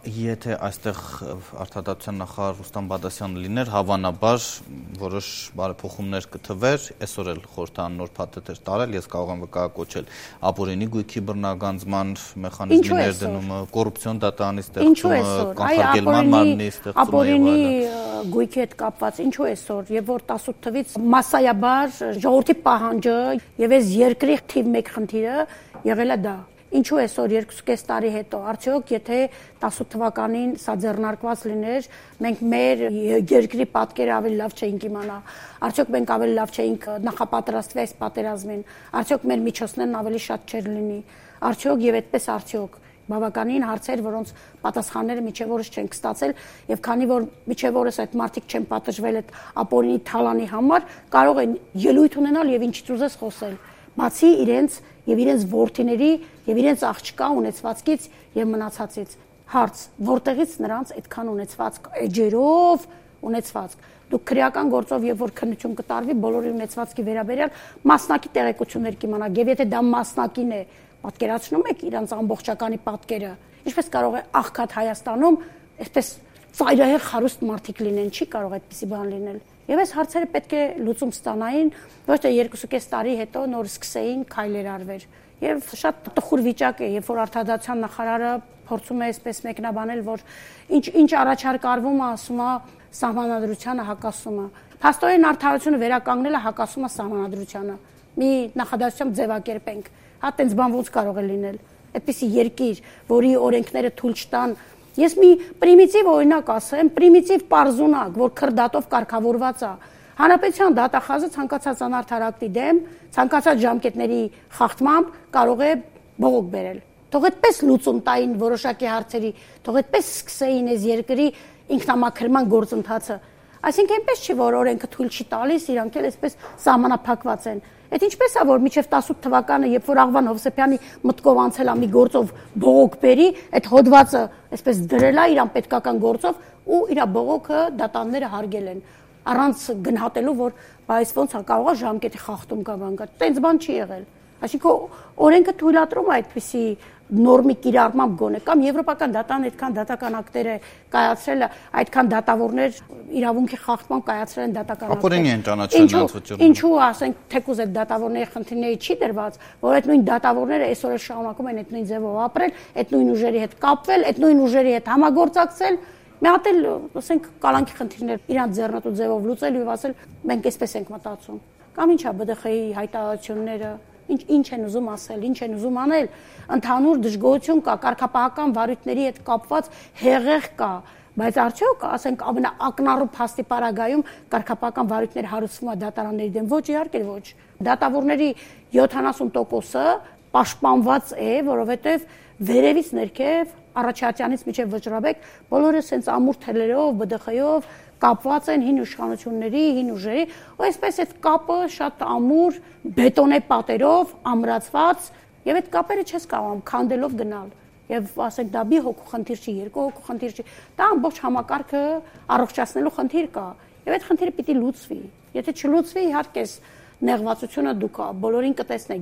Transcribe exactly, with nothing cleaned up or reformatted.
Եթե այստեղ արտադատության նախարար Ռուստամ Բադասյանը լիներ, հավանաբար որոշ բարեփոխումներ կթվեր, այսօր էլ խորհրդարան նոր փաթեթ տարել, ես կարող եմ վկայակոչել ապօրինի գույքի բռնագանձման մեխանիզմի ներդնումը, կոռուպցիոն դատարանի ստեղծումը, կանխարգելման մարմնի ստեղծումը։ Ապօրինի գույքի հետ կապված ինչու այսօր, եւ որ տասութ թվից massայաբար ժողովրդի պահանջը եւ այս երկրի թիվ մեկ խնդիրը եղել է դա։ Ինչու այսօր երկուսուկես տարի հետո, արդյոք եթե տասութ թվականին սա ձեռնարկված լիներ, մենք մեր երկրի պատկերը ավելի լավ չէինք իմանա, արդյոք մենք ավելի լավ չէինք նախապատրաստվի այս պատերազմին, արդյոք մեր միջոցներն ավելի շատ չէր լինի, արդյոք եւ այդպես արդյոք բավականին հարցեր, որոնց պատասխանները միջև օրս չենք ստացել, եւ քանի որ միջև օրս այդ մարդիկ չեն պատժվել այդ ապօրինի թալանի համար, կարող են ելույթ ունենալ եւ ինչից ուզես խոսել, բացի իրենց եւ իրենց ворթիների եւ իրենց աղջկա ունեցվածքից եւ մնացածից։ Հարց. որտեղից նրանց այդքան ունեցվածք էջերով ունեցվածք։ Դուք քրեական գործով եւ որ քննություն կտարվի բոլորի ունեցվածքի վերաբերյալ մասնակի տեղեկություններ կիմանաք եւ եթե դա մասնակին է, պատկերացնում եք իրանց ամբողջականի պատկերը, ինչպես կարող է աղքատ Հայաստանում այսպես ծայրահեղ խարուստ մարդիկ լինեն, չի կարող այդպիսի բան լինել։ Եվ այս հարցերը պետք է լուծում ստանային, ոչ թե երկուսուկես տարի հետո նոր սկսեին քայլեր արվեր։ Եվ շատ տխուր վիճակ է, երբ որ արտադատության նախարարը փորձում է այսպես մեկնաբանել, որ ինչ ինչ առաջարկ արվում է, ասում է սահմանադրությանը հակասում է։ Փաստորեն արդարությունը վերականգնելը հակասում է սահմանադրությանը։ Մի նախադասությամբ ձևակերպենք։ Հա տենց բան ոնց կարող է լինել։ Այդպիսի երկիր, որի օրենքները թույլ չտան։ Ես մի պրիմիտիվ օրինակ ասեմ, պրիմիտիվ պարզունակ, որ քրդատով կարգավորված է։ Հանրապետության դատախազը ցանկացած անարդար ակտի դեմ, ցանկացած ժամկետների խախտմամբ կարող է բողոք բերել։ Թող այդպես լուծում տային որոշակի հարցերի, թող այդպես սկսեին այս երկրի ինքնամաքրման գործընթացը։ Այսինքն այնպես չի, որ օրենքը թույլ չի տալիս, իրանք էլ այսպես սահմանափակված են։ Այդ ինչպես է, որ մինչև տասութ թվականը, երբ որ Աղվան Հովսեփյանի մտքով անցել է մի գործով բողոք բերի, այդ հոդվածը այսպես դրել է իրան պետքական գործով ու իր բողոքը դատանները հարգել են, առանց գնահատելու, որ բայց ոնց է կարող է ժամկետի խախտում կա բան կա։ Տենց բան չի եղել։ Այսինքն օրենքը թույլատրում է այդպիսի նորմի կիրառմամբ գոնե կամ եվրոպական դատան այդքան դատական ակտեր է կայացրել, այդքան դատավորներ իրավունքի խախտման կայացրել են դատական ակտեր։ Ապօրինի են ճանաչել նրանց վճռումը։ Ինչու ասենք թեկուզ այդ դատավորների խնդիրների չի դրված, որ այդ նույն դատավորները այսօր էլ շարունակում են այդ նույն ձևով ապրել, այդ նույն ուժերի հետ կապվել, այդ նույն ուժերի հետ համագործակցել, մի հատ էլ ասենք կալանքի խնդիրներ իրանց ձեռնտու ձևով լուծել եւ ասել մենք այսպես ենք մտածում։ Կամ ինչա B D X-ի հայտարարությունները Ինչ ինչ են ուզում ասել, ինչ են ուզում անել, ընդհանուր դժգոհություն կա, կարգապահական վարույթների հետ կապված հեղեղ կա, բայց արդյոք, ասենք, ամենաակնառու փաստի պարագայում կարգապահական վարույթներ հարուցվում է դատարանների դեմ, ոչ իհարկե ոչ։ Դատավորների յոթանասուն տոկոսը պաշտպանված է, որովհետև վերևից ներքև առաջատյանից մինչև վճռաբեկ բոլորը սենց ամուր թելերով, B D X-ով կապված են հին իշխանությունների, հին ուժերի, ու այսպես այդ կապը շատ ամուր բետոնե պատերով ամրացված, եւ այդ կապերը չես կարող քանդելով գնալ։ Եվ ասենք դա մի հոգու խնդիր չի, երկու հոգու խնդիր չի, դա ամբողջ համակարգը առողջացնելու խնդիր կա, եւ այդ խնդիրը պիտի լուծվի։ Եթե չլուծվի, իհարկե նեղվածությունը դուք բոլորին կտեսնեք։